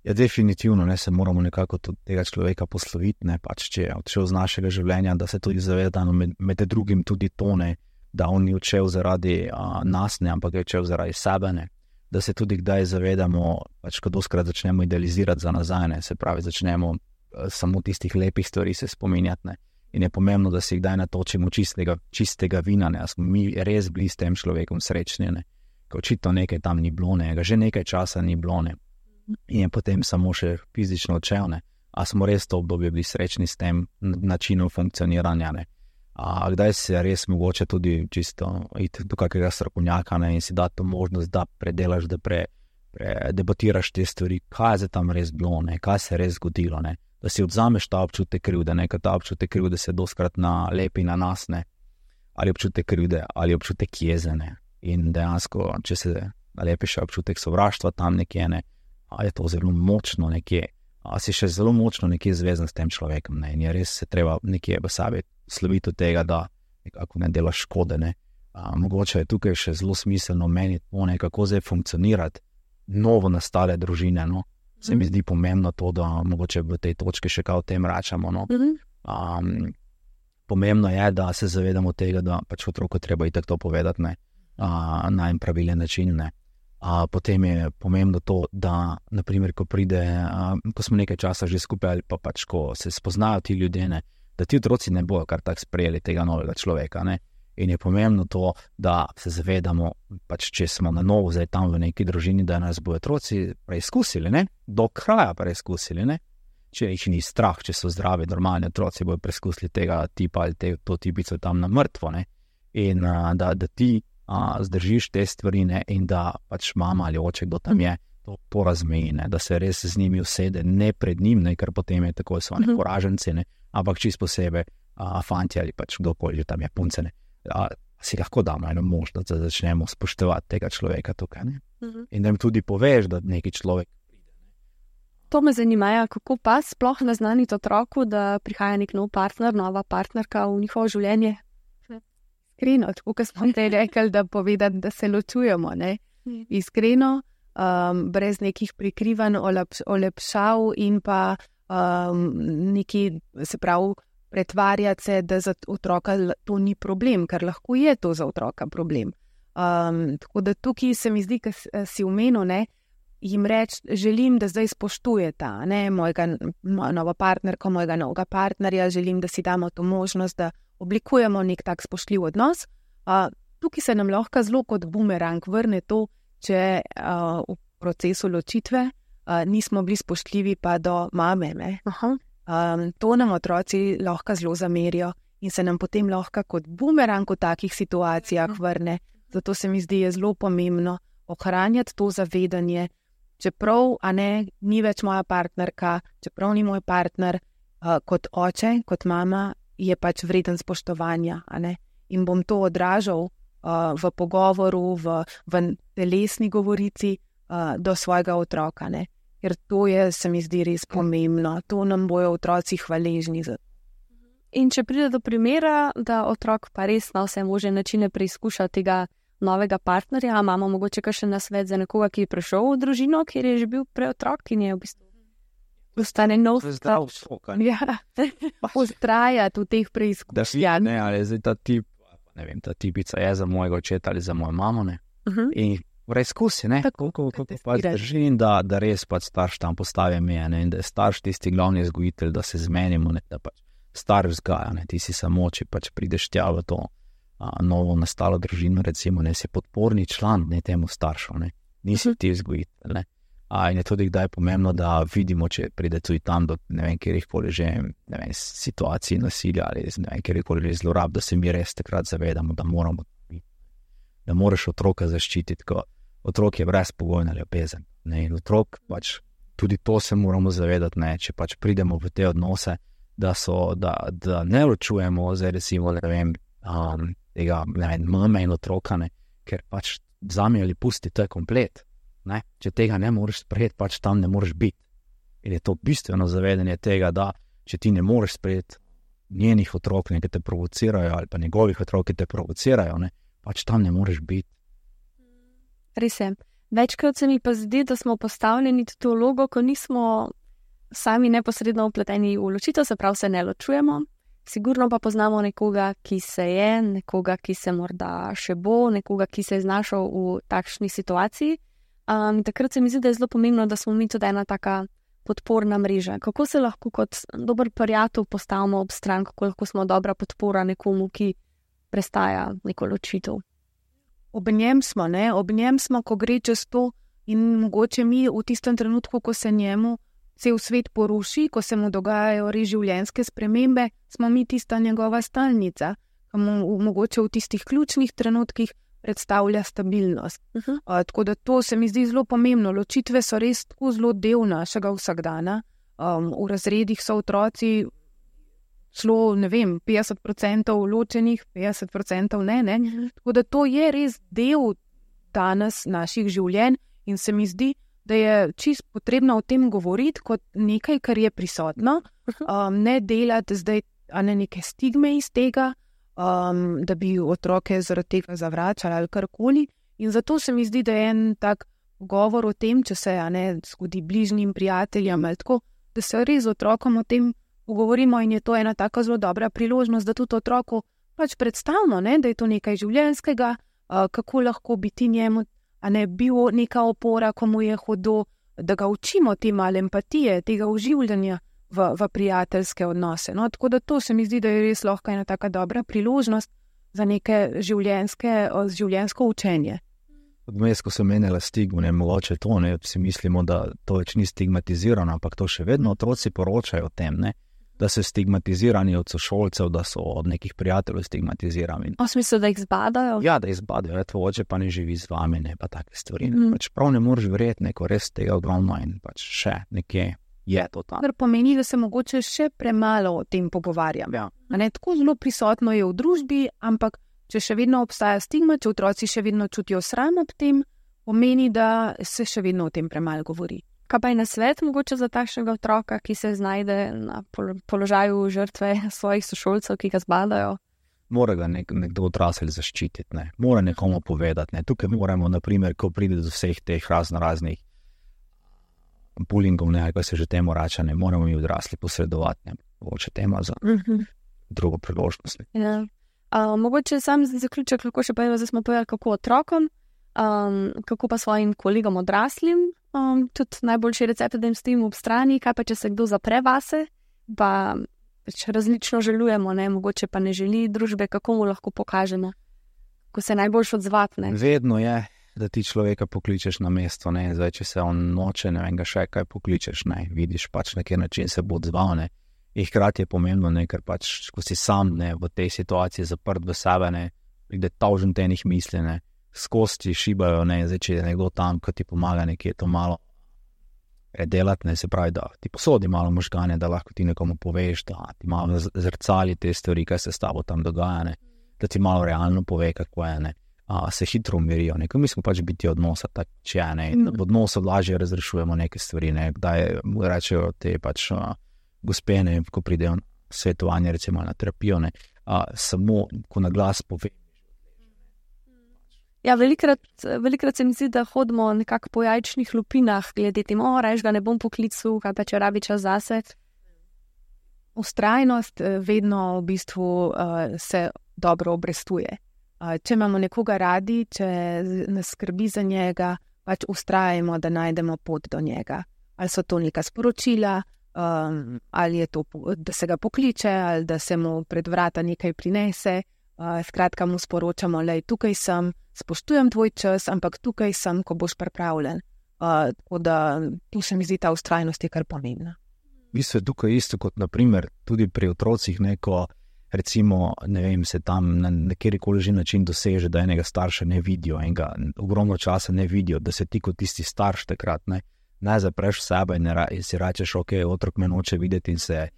Ja, definitivno, ne, se moramo nekako tudi tega človeka posloviti, ne, pač če je odšel z našega življenja, da se tudi zaveda, med drugim tudi to, ne, da on ni odšel zaradi nas, ne, ampak je odšel zaradi sebe, ne, da se tudi kdaj zavedamo, pač ko doskrat začnemo idealizirati za nazaj, ne, se pravi, začnemo samo tistih lepih stvari se spominjati, ne. In je pomembno, da si kdaj natočimo čistega vina, ne, a smo mi res bili s tem človekom srečni, ne, ko očitno nekaj tam ni bilo, ne, ga že nekaj časa ni bilo, ne, in je potem samo še fizično odšel, ne, a smo res to obdobje bili srečni s tem načinom funkcioniranja, ne, a kdaj se res mogoče tudi čisto iti do kakega strokovnjaka, ne, in si dati to možnost, da predelaš, da debatiraš te stvari, kaj je tam res bilo, ne, kaj se je res zgodilo, ne, da si odzameš ta občutek krivde, ne, ta občutek krivde se doskrat nalepi na nas, ne, ali občutek krivde, ali občutek jeze, ne, in dejansko, če se nalepiš občutek sovraštva tam nekje, ne, je to zelo močno nekje, si še zelo močno nekje zvezan s tem človekom, ne, in je res se treba nekje v sebi sloviti od tega, da nekako ne delaš škode, ne, Mogoče je tukaj še zelo smiselno meniti, kako zdaj funkcionirati novo nastale družine. No? Se mi zdi pomembno to, da mogoče v tej točki še kaj o tem račamo. No? Pomembno je, da se zavedamo tega, da pač otroku treba itak to povedati na en pravilen način. Ne? Potem je pomembno to, da naprimer, ko smo nekaj časa že skupaj ali pa pač, ko se spoznajo ti ljudje, ne, da ti otroci ne bojo kar tako sprejeli tega novega človeka. Ne. In je pomembno to, da se zavedamo, pač, če smo na novo zdaj tam v neki družini, da nas bojo otroci preizkusili, ne, do kraja preizkusili, ne. Če jih ni strah, če so zdravi, normalni otroci bojo preizkusili tega tipa ali to tipico tam na mrtvo, ne. In da ti zdržiš te stvari, ne, in da pač mama ali oče, kdo tam je, to razmeji, ne, da se res z njimi usede, ne pred njim, ne, ker potem je tako, so oni poraženci, ne, ampak čisto posebej fanti ali pač kdokoli že tam je punce, ne, si lahko damo eno možnost, da začnemo spoštovati tega človeka tukaj, ne. In da jim tudi poveš, da neki človek. To me zanima, kako pa sploh naznaniti otroku, da prihaja nek nov partner, nova partnerka v njihovo življenje? Iskreno, tako kot smo te rekli, da povedati, da se ločujemo, ne? Iskreno, brez nekih prikrivanj, olepšav in pa neki, se pravi, pretvarjati se, da za otroka to ni problem, ker lahko je to za otroka problem. Tako da tukaj se mi zdi, ker si omenil, ne, jim reči, želim, da zdaj spoštujeta, ne, mojega nova partnerka, mojega novega partnerja, želim, da si damo to možnost, da oblikujemo nek tak spoštljiv odnos. Tukaj se nam lahko zelo kot bumerang vrne to, če v procesu ločitve nismo bili spoštljivi pa do mame. Ne? To nam otroci lahko zelo zamerijo in se nam potem lahko kot bumerang v takih situacijah vrne. Zato se mi zdi je zelo pomembno ohranjati to zavedanje, čeprav ni več moja partnerka, čeprav ni moj partner, kot oče, kot mama, je pač vreden spoštovanja. In bom to odražal v pogovoru, v telesni govorici do svojega otroka. Ne? Ker to je, se mi zdi, res pomembno. To nam bojo otroci hvaležni za. In če pride do primera, da otrok pa res na vse možne načine preizkuša tega novega partnerja, imamo mogoče kakšen nasvet za nekoga, ki je prišel v družino, kjer je že bil prej otrok in je v bistvu postane nov zdrav šok. Ja, ustrajati v teh preizkušnjah. Ne, ali je zdaj ta tip, ne vem, ta tipica je za mojega očeta ali za mojo mamo, ne. In preizkusi, ne, koliko pa zdrži in da res pač starš tam postavi meje, ne, in da je starš tisti glavni vzgojitelj, da se zmenimo, ne, da pač starš vzgaja, ne, ti si samo, če pač prideš tja v to novo nastalo družino, recimo, ne, si podporni član, ne, temu staršu, ne, nisi ti vzgojitelj, ne. In je tudi kdaj pomembno, da vidimo, če pride tudi tam do, ne vem, kjerikoli že, ne vem, situacij nasilja ali ne vem, kjerikoli že zlorab, da se mi res takrat zavedamo, da moramo, da moraš otroka zaščititi, ko otrok je brezpogojna ljubezen, ne, in otrok pač, tudi to se moramo zavedati, ne, če pač pridemo v te odnose, da ne ločujemo, zdaj recimo, ne vem, tega, ne vem, mame in otroka, ne, ker pač vzami ali pusti, to je komplet. Ne? Če tega ne moreš sprejeti, pač tam ne moreš biti. In je to bistveno zavedanje tega, da če ti ne moreš sprejeti njenih otrok, ki te provocirajo, ali pa njegovih otrok, ki te provocirajo, ne? Pač tam ne moreš biti. Res je. Večkrat se mi pa zdi, da smo postavljeni v to vlogo, ko nismo sami neposredno vpleteni v ločitev, se pravi, se ne ločujemo. Sigurno pa poznamo nekoga, ki se je, nekoga, ki se morda še bo, nekoga, ki se je znašel v takšni situaciji. Takrat se mi zdi, da je zelo pomembno, da smo mi tudi ena taka podporna mreža. Kako se lahko kot dober prijatelj postavimo ob stran, kako lahko smo dobra podpora nekomu, ki prestaja neko ločitev? Ob njem smo, ko gre čez to in mogoče mi v tistem trenutku, ko se njemu cel svet poruši, ko se mu dogajajo res življenjske spremembe, smo mi tista njegova stalnica, ki mu mogoče v tistih ključnih trenutkih predstavlja stabilnost. Tako da to se mi zdi zelo pomembno. Ločitve so res tako zelo del našega vsakdana. V razredih so otroci celo, ne vem, 50% ločenih, 50% ne. Tako da to je res del danes naših življenj in se mi zdi, da je čisto potrebno o tem govoriti kot nekaj, kar je prisotno, ne delati zdaj neke stigme iz tega, da bi otroke zaradi tega zavračali ali karkoli. In zato se mi zdi, da je en tak govor o tem, če se zgodi bližnjim prijateljem ali tako, da se res z otrokom o tem pogovorimo in je to ena taka zelo dobra priložnost, da tudi otroku pač predstavimo, da je to nekaj življenjskega, kako lahko bi ti njemu bil neka opora, ko mu je hudo, da ga učimo te male empatije, tega uživljanja v prijateljske odnose. No, tako da to se mi zdi, da je res lahko ena taka dobra priložnost za neke življenjsko učenje. Odmes, ko sem menila stigmo, mogoče to, si mislimo, da to več ni stigmatizirano, ampak to še vedno otroci poročajo o tem, da so stigmatizirani od sošolcev, da so od nekih prijateljev stigmatizirani. V smislu, da jih zbadajo? Ja, da jih zbadajo, tvoj oče pa ne živi z vami, pa take stvari. Pač prav ne moreš verjeti, neko res tega ogromno in pač še nekje je to tam. Kar pomeni, da se mogoče še premalo o tem pogovarjam. Ja. Tako zelo prisotno je v družbi, ampak če še vedno obstaja stigma, če otroci še vedno čutijo sram ob tem, pomeni, da se še vedno o tem premalo govori. Kaj pa je nasvet mogoče za takšnega otroka, ki se znajde na položaju žrtve svojih sošolcev, ki ga zbadajo? Mora ga nekdo odrasel zaščititi, mora nekomu povedati. Tukaj moramo, naprimer, ko pride do vseh teh raznih bullyingov, ali kaj se že temu reče, moramo mi odrasli posredovati. Mogoče tema za drugo priložnost. Ja. Mogoče sam za zaključek lahko še povem, da smo povedali, kako otrokom, kako pa svojim kolegom odraslim, tudi najboljši recept, da jim stojimo ob strani, kaj pa če se kdo zapre vase, pa različno želujemo, mogoče pa ne želi družbe, kako mu lahko pokažemo, ko se najboljš odzvati. Vedno je, da ti človeka pokličeš na mesto, zdaj, če se on noče, ne vem ga še kaj pokličeš, vidiš pač na kjer način se bo odzval, in hkrati je pomembno, ker pač, ko si sam v tej situaciji zaprt v sebe, pride tavžen tenih misli, skozi ti šibajo, zdaj, če je nekdo tam, ko ti pomaga nekje to malo redelati, se pravi, da ti posodi malo možgane, da lahko ti nekomu poveš, da ti malo zrcali te stvari, kaj se s tabo tam dogaja, da ti malo realno pove, kako je, se hitro umirijo, mi smo pač biti odnosa, tak, če je, v odnosu lažje razrešujemo neke stvari, kdaj rečejo te pač gospene, ko pridejo svetovanje, recimo na terapijo, samo ko na glas pove. Ja, velikrat se mi zdi, da hodimo nekako po jajčnih lupinah, glede temu, reč ga ne bom poklical, kaj pa če rabi čas zase. Vztrajnost vedno v bistvu se dobro obrestuje. Če imamo nekoga radi, če nas skrbi za njega, pač vztrajamo, da najdemo pot do njega. Ali so to neka sporočila, ali je to, da se ga pokliče, ali da se mu pred vrata nekaj prinese. Skratka mu sporočamo, lej, tukaj sem, spoštujem tvoj čas, ampak tukaj sem, ko boš pripravljen. Tako da tu se mi zdi ta vztrajnost je kar pomembna. V bistvu je tukaj isto kot naprimer tudi pri otrocih neko, recimo, ne vem, se tam na kjerikoli že način doseže, da enega starša ne vidijo, enega ogromno časa ne vidijo, da se ti kot tisti starš takrat ne zapreš sebe in si rečeš, ok, otrok me noče videti in se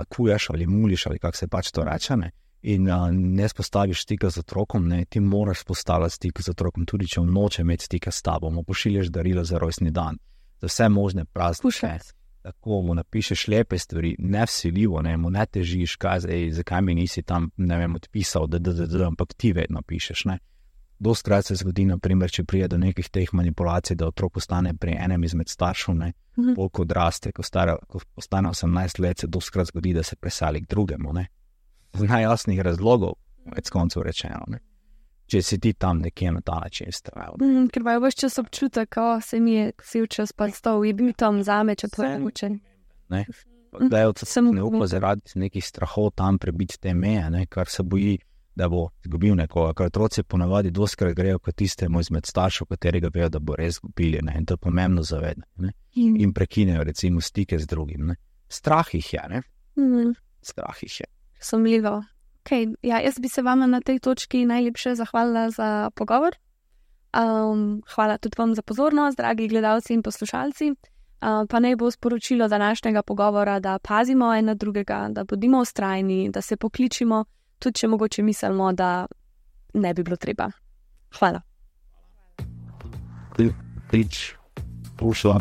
kuješ ali muliš ali kako se pač to reče, in ne spostaviš stika z otrokom, ti moraš spostaviti stik z otrokom, tudi če on noče imeti stika s tabo, mu pošiljaš darilo za rojstni dan, za vse možne praznike, tako mu napišeš lepe stvari, ne vsiljivo, mu ne težiš, zakaj mi nisi tam, ne vem, odpisal, ampak ti vedno pišeš, Dostkrat se zgodi, naprimer, če prije do nekih teh manipulacij, da otrok postane pri enem izmed staršev, koliko odraste, ko postane 18 let, se dostkrat zgodi, da se presali k drugemu, z najjasnih razlogov, več koncev rečeno, če si ti tam nekje na ta način stavil. Ker imajo vaš čas občutek, ko se mi je vsi čas predstavil, je bil tam zame, če to je učen. Da je ne upa zaradi nekih strahov tam prebiti te meje, kar se boji, da bo izgubil nekoga, ker otroci ponavadi dostkrat grejo kot tistemu izmed staršev, katerega vejo, da bo res izgubili, in to je pomembno zavedati, in prekinejo recimo stike z drugim, Strah jih je, Strah jih je. Sumljivo. Okay, ja, jaz bi se vama na tej točki najlepše zahvalila za pogovor. Hvala tudi vam za pozornost, dragi gledalci in poslušalci. Pa naj bo sporočilo današnjega pogovora, da pazimo en na drugega, da bodimo vztrajni, da se pokličimo, tudi če mogoče mislimo, da ne bi bilo treba. Hvala. Prič, pošla,